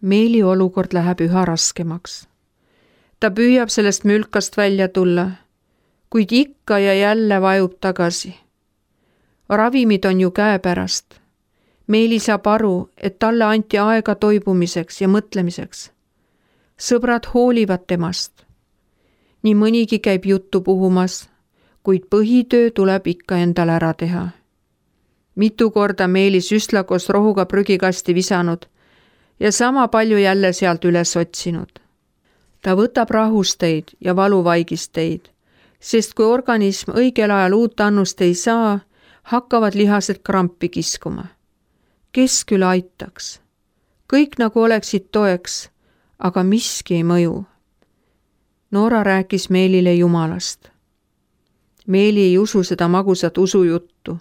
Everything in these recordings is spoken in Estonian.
Meeli olukord läheb üha raskemaks. Ta püüab sellest mülkast välja tulla, kuid ikka ja jälle vajub tagasi. Ravimid on ju käepärast. Meeli saab aru, et talle anti aega toibumiseks ja mõtlemiseks. Sõbrad hoolivad temast. Nii mõnigi käib juttu puhumas, kuid põhitöö tuleb ikka endal ära teha. Mitu korda Meeli süstla koos rohuga prügikasti visanud ja sama palju jälle sealt üles otsinud. Ta võtab rahusteid ja valuvaigisteid, sest kui organism õigel ajal uut annust ei saa, hakkavad lihased krampi kiskuma. Kes küll aitaks? Kõik nagu oleksid toeks, aga miski ei mõju. Noora rääkis Meelile Jumalast. Meeli ei usu seda magusat usujuttu.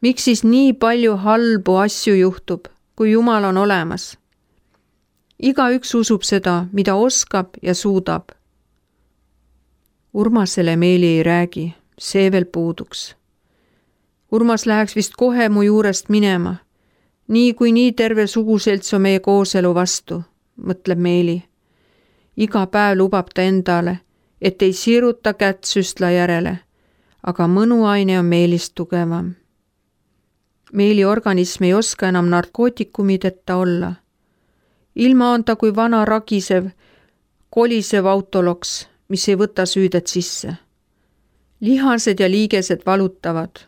Miks siis nii palju halbu asju juhtub, kui Jumal on olemas? Igaüks usub seda, mida oskab ja suudab. Urmasele Meeli ei räägi, see veel puuduks. Urmas läheks vist kohe mu juurest minema, nii kui nii terve suguselts on meie kooselu vastu, mõtleb Meeli. Iga päev lubab ta endale, et ei siruta kätt süstla järele, aga mõnuaine on Meelist tugevam. Meeli organism ei oska enam narkootikumideta olla. Ilma on ta kui vana ragisev, kolisev autoloks, mis ei võta süüdet sisse. Lihased ja liigesed valutavad.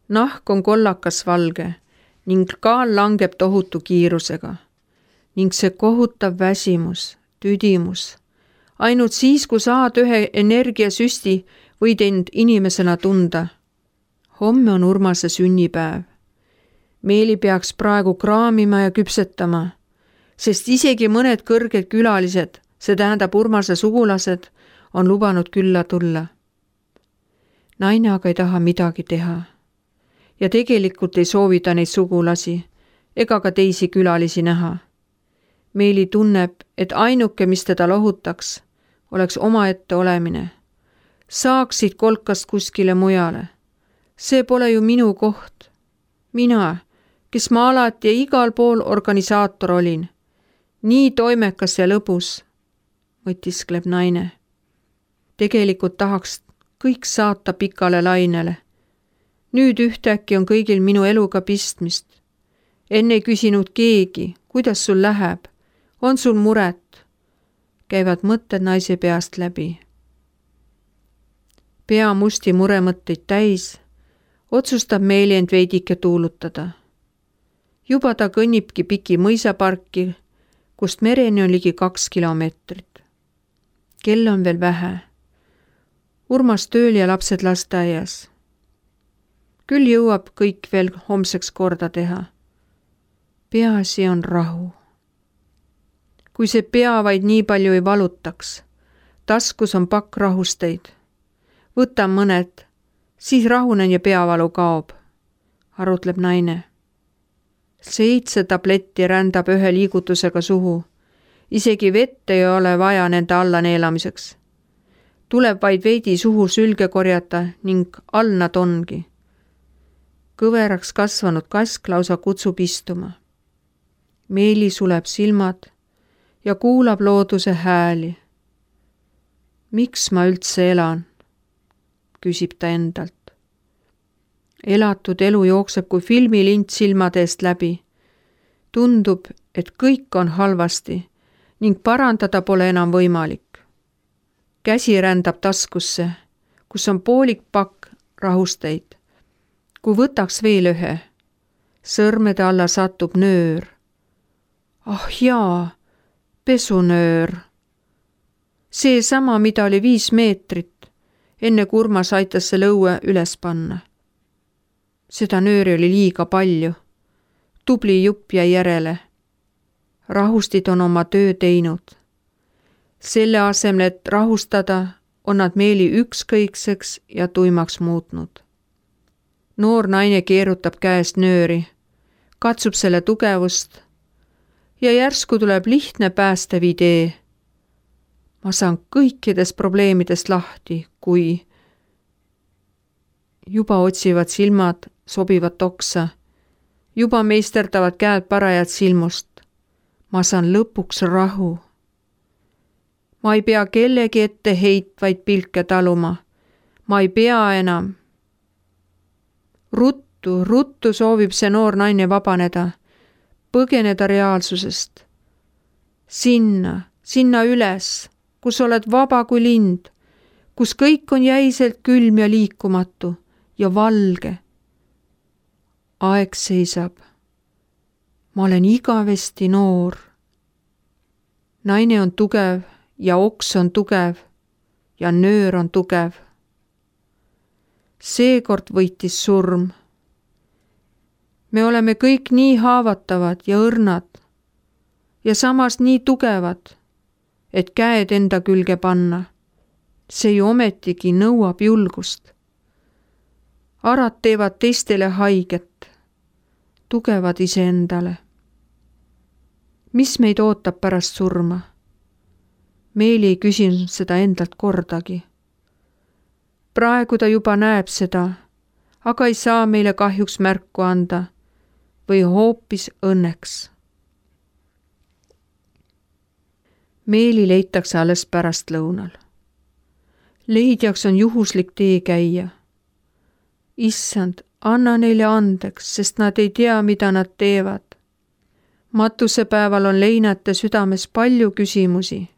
Nahk on kollakas valge ning kaal langeb tohutu kiirusega. Ning see kohutav väsimus, tüdimus. Ainult siis, kui saad ühe energiasüsti, võid end inimesena tunda. Homme on Urmase sünnipäev. Meeli peaks praegu kraamima ja küpsetama, sest isegi mõned kõrged külalised, see tähendab Urmase sugulased, on lubanud külla tulla. Naine aga ei taha midagi teha. Ja tegelikult ei soovi ta neid sugulasi ega ka teisi külalisi näha. Meeli tunneb, et ainuke, mis teda lohutaks, oleks omaette olemine. Saaksid kolkast kuskile mujale. See pole ju minu koht. Mina, kes ma alati ja igal pool organisaator olin. Nii toimekas ja lõbus, mõtiskleb naine. Tegelikult tahaks kõik saata pikale lainele. Nüüd ühtäkki on kõigil minu eluga pistmist. Enne ei küsinud keegi, kuidas sul läheb, on sul muret. Käivad mõtted naise peast läbi. Pea musti muremõtteid täis, otsustab Meeli end veidike tuulutada. Juba ta kõnnibki piki mõisaparki, kust mereni on ligi 2 kilomeetrit. Kell on veel vähe. Urmas tööl ja lapsed lasteaias. Küll jõuab kõik veel homseks korda teha. Peaasi on rahu. Kui see pea vaid nii palju ei valutaks, taskus on pakk rahusteid. Võtan mõned, siis rahunen ja peavalu kaob, arutleb naine. 7 tabletti rändab ühe liigutusega suhu. Isegi vett ei ole vaja nende alla neelamiseks. Tuleb vaid veidi suhu sülge korjata ning all nad ongi. Kõveraks kasvanud kask lausa kutsub istuma. Meeli suleb silmad ja kuulab looduse hääli. Miks ma üldse elan? Küsib ta endalt. Elatud elu jookseb kui filmilint silmade eest läbi. Tundub, et kõik on halvasti ning parandada pole enam võimalik. Käsi rändab taskusse, kus on poolik pakk rahusteid. Kui võtaks veel ühe, sõrmede alla satub nöör. Ah jaa, pesunöör. See sama, mida oli 5 meetrit, enne kui Urmas aitas selle õue üles panna. Seda nööri oli liiga palju. Tubli jupp jäi järele. Rahustid on oma töö teinud. Selle asemel, et rahustada, on nad Meeli ükskõikseks ja tuimaks muutnud. Noor naine keerutab käest nööri, katsub selle tugevust ja järsku tuleb lihtne päästev idee. Ma saan kõikidest probleemidest lahti, kui juba otsivad silmad sobivat oksa, juba meisterdavad käed parajat silmust. ma saan lõpuks rahu. Ma ei pea kellegi ette heitvaid pilke taluma. Ma ei pea enam. Ruttu soovib see noor naine vabaneda, põgeneda reaalsusest. Sinna üles, kus oled vaba kui lind, kus kõik on jäiselt külm ja liikumatu ja valge. Aeg seisab. Ma olen igavesti noor. Naine on tugev ja oks on tugev ja nöör on tugev. Seekord võitis surm. Me oleme kõik nii haavatavad ja õrnad ja samas nii tugevad, et käed enda külge panna. See ju ometigi nõuab julgust. Arad teevad teistele haiget, tugevad iseendale. Mis meid ootab pärast surma? Meeli ei küsinud seda endalt kordagi. Praegu ta juba näeb seda, aga ei saa meile kahjuks märku anda või hoopis õnneks. Meeli leitakse alles pärastlõunal. Leidjaks on juhuslik tee käia. Issand, anna neile andeks, sest nad ei tea, mida nad teevad. Matusepäeval on leinate südames palju küsimusi.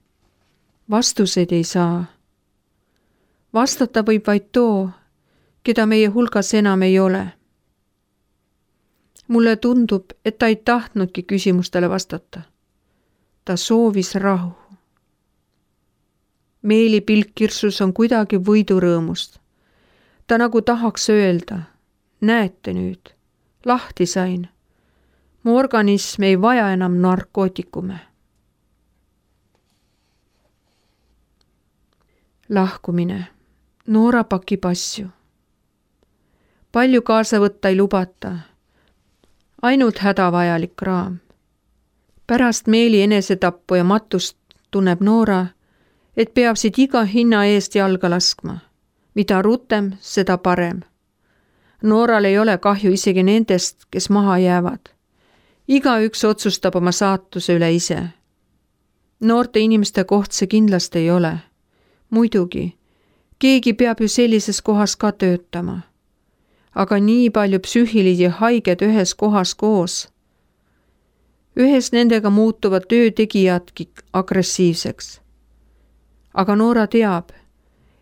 Vastuseid ei saa. Vastata võib vaid too, keda meie hulgas enam ei ole. Mulle tundub, et ta ei tahtnudki küsimustele vastata. Ta soovis rahu. Meeli pilk kirsus on kuidagi võidurõõmust. Ta nagu tahaks öelda, näete nüüd, lahti sain. Mu organism ei vaja enam narkootikume. Lahkumine. Noora pakib asju. Palju kaasa võtta ei lubata. Ainult hädavajalik kraam. Pärast Meeli enesetappu ja matust tunneb Noora, et peab siit iga hinna eest jalga laskma. Mida rutem, seda parem. Nooral ei ole kahju isegi nendest, kes maha jäävad. Igaüks otsustab oma saatuse üle ise. Noorte inimeste koht see kindlasti ei ole. Muidugi, keegi peab ju sellises kohas ka töötama. Aga nii palju psüühilisi haiged ühes kohas koos. Ühes nendega muutuvad töötegijadki agressiivseks. Aga Noora teab,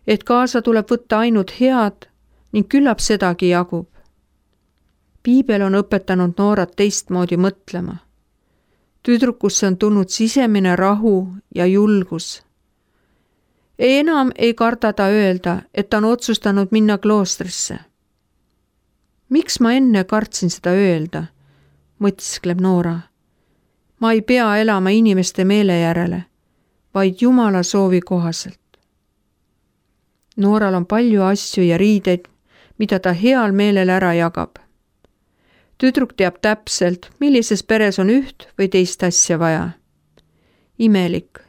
et kaasa tuleb võtta ainult head ning küllap sedagi jagub. Piibel on õpetanud Noorat teistmoodi mõtlema. Tüdrukusse on tulnud sisemine rahu ja julgus. Enam ei karda ta öelda, et ta on otsustanud minna kloostrisse. Miks ma enne kartsin seda öelda, mõtiskleb Noora. Ma ei pea elama inimeste meele järele, vaid Jumala soovi kohaselt. Nooral on palju asju ja riideid, mida ta heal meelel ära jagab. Tüdruk teab täpselt, millises peres on üht või teist asja vaja. Imelik.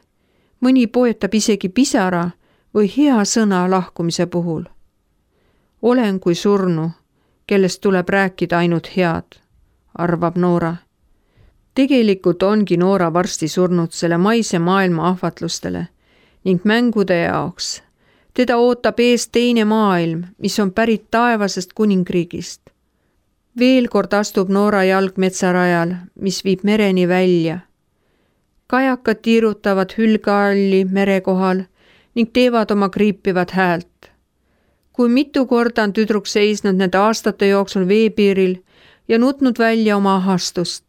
Mõni poetab isegi pisara või hea sõna lahkumise puhul. Olen kui surnu, kellest tuleb rääkida ainult head, arvab Noora. Tegelikult ongi Noora varsti surnud selle maise maailma ahvatlustele ning mängude jaoks. Teda ootab ees teine maailm, mis on pärit taevasest kuningriigist. Veel kord astub Noora jalg metsarajal, mis viib mereni välja. Kajakad tiirutavad hülgealli mere kohal ning teevad oma kriipivat häält. Kui mitu korda on tüdruk seisnud nende aastate jooksul veepiiril ja nutnud välja oma ahastust.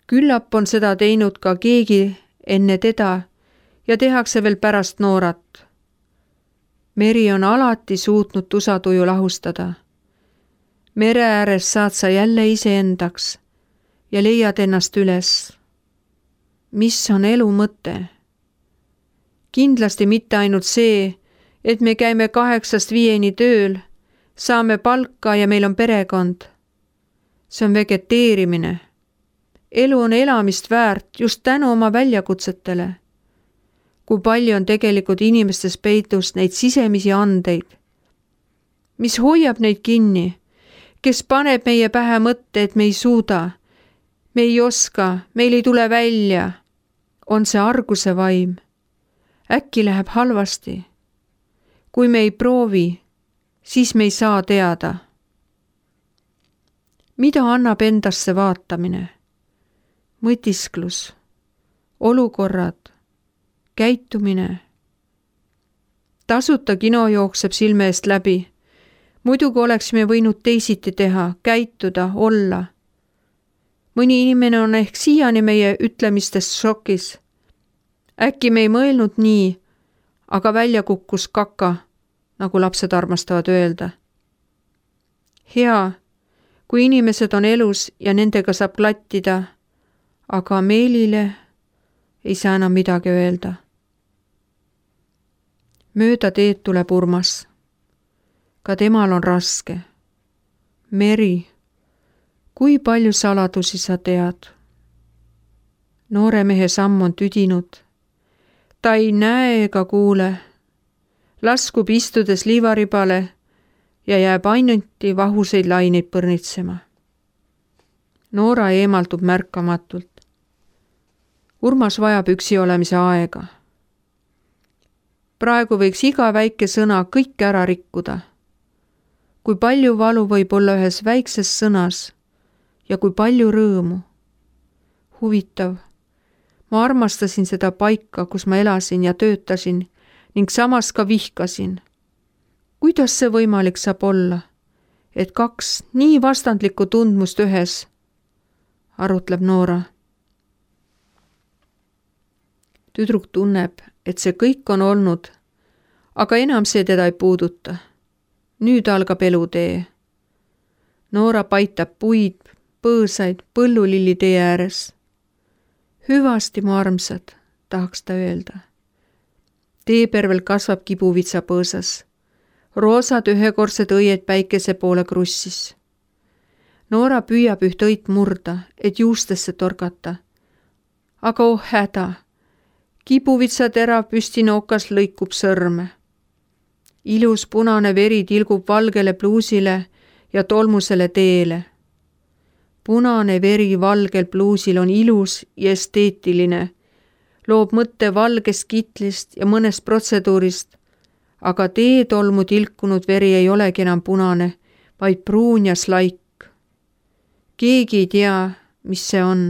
Küllap on seda teinud ka keegi enne teda ja tehakse veel pärast Noorat. Meri on alati suutnud tusatuju lahustada. Mere ääres saad sa jälle iseendaks ja leiad ennast üles. Mis on elu mõte? Kindlasti mitte ainult see, et me käime 8–5 tööl, saame palka ja meil on perekond. See on vegeteerimine. Elu on elamist väärt just tänu oma väljakutsetele. Kui palju on tegelikult inimestes peitus neid sisemisi andeid. Mis hoiab neid kinni, kes paneb meie pähe mõtte, et me ei suuda. Me ei oska, meil ei tule välja. On see arguse vaim. Äkki läheb halvasti. Kui me ei proovi, siis me ei saa teada. Mida annab endasse vaatamine? Mõtisklus, olukorrad, käitumine. Tasuta kino jookseb silme eest läbi. Muidugi oleksime võinud teisiti teha, käituda, olla. Mõni inimene on ehk siiani meie ütlemistest šokis. Äkki me ei mõelnud nii, aga välja kukkus kaka, nagu lapsed armastavad öelda. Hea, kui inimesed on elus ja nendega saab klattida, aga Meelile ei saa enam midagi öelda. Mööda teed tuleb Urmas. Ka temal on raske. Meri, kui palju saladusi sa tead? Noore mehe samm on tüdinud. Ta ei näe ega kuule. Laskub istudes liivaribale ja jääb ainult vahuseid laineid põrnitsema. Noora eemaldub märkamatult. Urmas vajab üksi olemise aega. Praegu võiks iga väike sõna kõik ära rikkuda. Kui palju valu võib olla ühes väikses sõnas ja kui palju rõõmu. Huvitav, ma armastasin seda paika, kus ma elasin ja töötasin ning samas ka vihkasin. Kuidas see võimalik saab olla, et kaks nii vastandlikku tundmust ühes, arutleb Noora. Tüdruk tunneb, et see kõik on olnud, aga enam see teda ei puuduta. Nüüd algab elutee. Noora paitab puid, põõsaid, põllulilli tee ääres. Hüvasti, mu armsad, tahaks ta öelda. Teepervel kasvab kibuvitsa põõsas. Roosad ühekordsed õied päikese poole krussis. Noora püüab üht õit murda, et juustesse torgata. Aga oh häda! Kibuvitsa terav püstinookas lõikub sõrme. Ilus punane veri tilgub valgele pluusile ja tolmusele teele. Punane veri valgel pluusil on ilus ja esteetiline, loob mõtte valgest kitlist ja mõnest protseduurist, aga teetolmu tilkunud veri ei olegi enam punane, vaid pruun ja slaik. Keegi ei tea, mis see on.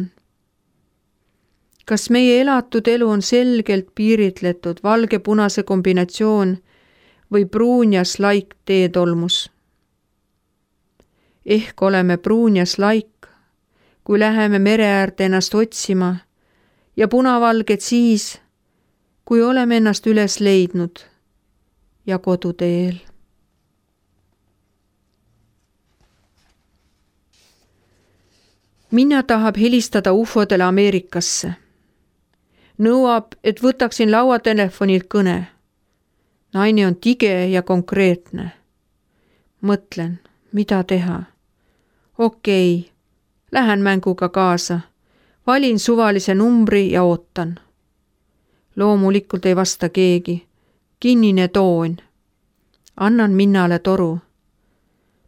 Kas meie elatud elu on selgelt piiritletud valge-punase kombinatsioon või pruun ja slaik teetolmus? Ehk oleme pruun ja slaik, kui läheme mere äärde ennast otsima ja punavalged siis, kui oleme ennast üles leidnud ja koduteel. Minna tahab helistada ufodele Ameerikasse. Nõuab, et võtaksin lauatelefonilt kõne. Naine on tige ja konkreetne. Mõtlen, mida teha. Okei, lähen mänguga kaasa. Valin suvalise numbri ja ootan. Loomulikult ei vasta keegi. Kinnine toon. Annan Minnale toru.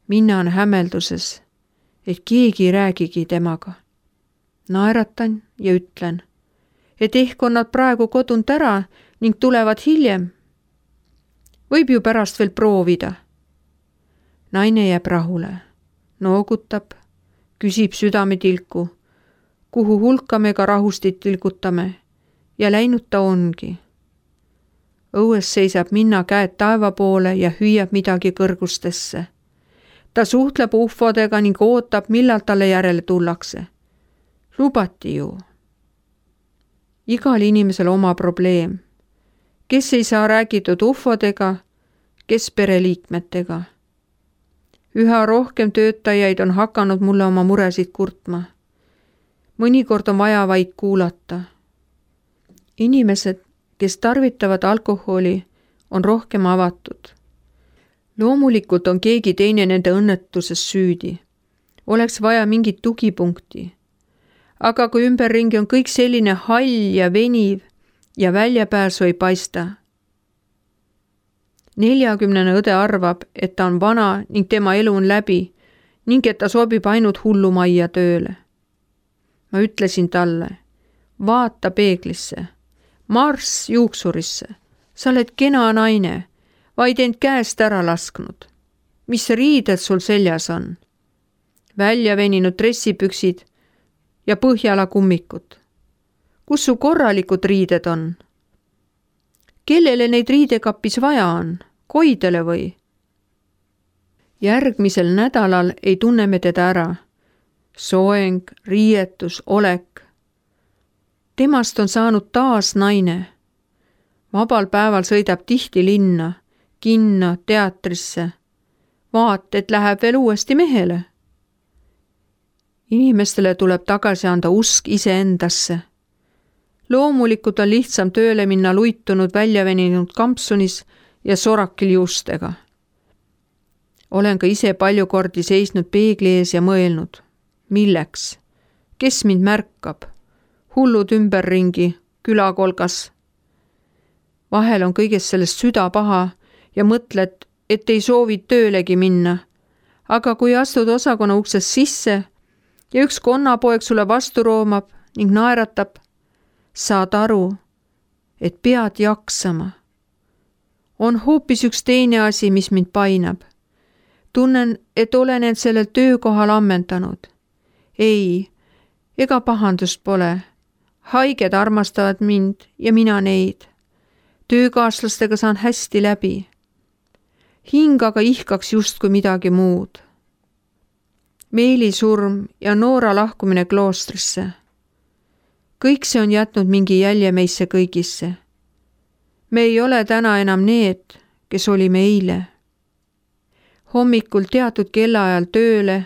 Minna on hämmelduses, et keegi ei räägigi temaga. Naeratan ja ütlen, et ehk on nad praegu kodunt ära ning tulevad hiljem. Võib ju pärast veel proovida. Naine jääb rahule, noogutab, küsib südametilku, kuhu hulka me ka rahustit tilgutame ja läinud ta ongi. Õues seisab Minna käed taeva poole ja hüüab midagi kõrgustesse. Ta suhtleb ufodega ning ootab, millal talle järele tullakse. Lubati ju. Igal inimesel oma probleem. Kes ei saa räägitud ufodega, kes pereliikmetega. Üha rohkem töötajaid on hakanud mulle oma muresid kurtma. Mõnikord on vaja vaid kuulata. Inimesed, kes tarvitavad alkoholi, on rohkem avatud. Loomulikult on keegi teine nende õnnetuses süüdi. Oleks vaja mingit tugipunkti. Aga kui ümberringi on kõik selline hall ja veniv ja väljapääsu ei paista. 40 õde arvab, et ta on vana ning tema elu on läbi ning et ta sobib ainult hullumajja tööle. ma ütlesin talle, vaata peeglisse, marss juuksurisse, sa oled kena naine, vaid end käest ära lasknud. Mis riided sul seljas on? Välja veninud dressipüksid ja Põhjala kummikud. Kus su korralikud riided on? Kellele neid riidekapis vaja on? Koidele või? Järgmisel nädalal ei tunne me teda ära. Soeng, riietus, olek. Temast on saanud taas naine. Vabal päeval sõidab tihti linna, kinno, teatrisse. Vaat, et läheb veel uuesti mehele. Inimestele tuleb tagasi anda usk iseendasse. Loomulikult on lihtsam tööle minna luitunud väljaveninud kampsunis ja sorakil juustega. Olen ka ise palju kordi seisnud peegli ees ja mõelnud. Milleks? Kes mind märkab? Hullud ümberringi, külakolgas. Vahel on kõigest sellest süda paha ja mõtled, et ei soovi töölegi minna. Aga kui astud osakonna uksest sisse ja üks konnapoeg sulle vastu roomab ning naeratab, saad aru, et pead jaksama. On hoopis üks teine asi, mis mind painab. Tunnen, et olen end sellel töökohal ammendanud. Ei, ega pahandust pole. Haiged armastavad mind ja mina neid. Töökaaslastega saan hästi läbi. Hing aga ihkaks justkui midagi muud. Meeli surm ja Noora lahkumine kloostrisse. Kõik see on jätnud mingi jälje meisse kõigisse. Me ei ole täna enam need, kes olime eile. Hommikul teatud kellaajal tööle,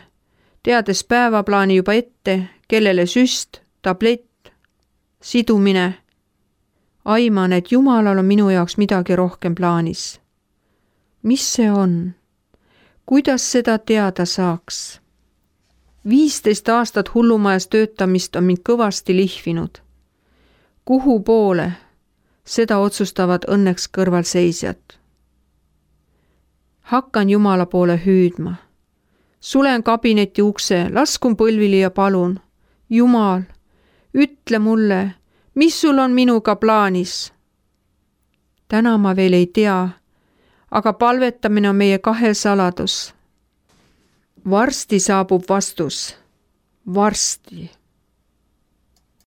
teades päevaplaani juba ette, kellele süst, tablett, sidumine. Aiman, et Jumalal on minu jaoks midagi rohkem plaanis. Mis see on? Kuidas seda teada saaks? 15 aastat hullumajas töötamist on mind kõvasti lihvinud. Kuhu poole? Seda otsustavad õnneks kõrvalseisjad. Hakkan Jumala poole hüüdma. Sulen kabineti ukse, laskun põlvili ja palun. Jumal, ütle mulle, mis sul on minuga plaanis? Täna ma veel ei tea, aga palvetamine on meie kahe saladus. Varsti saabub vastus. Varsti.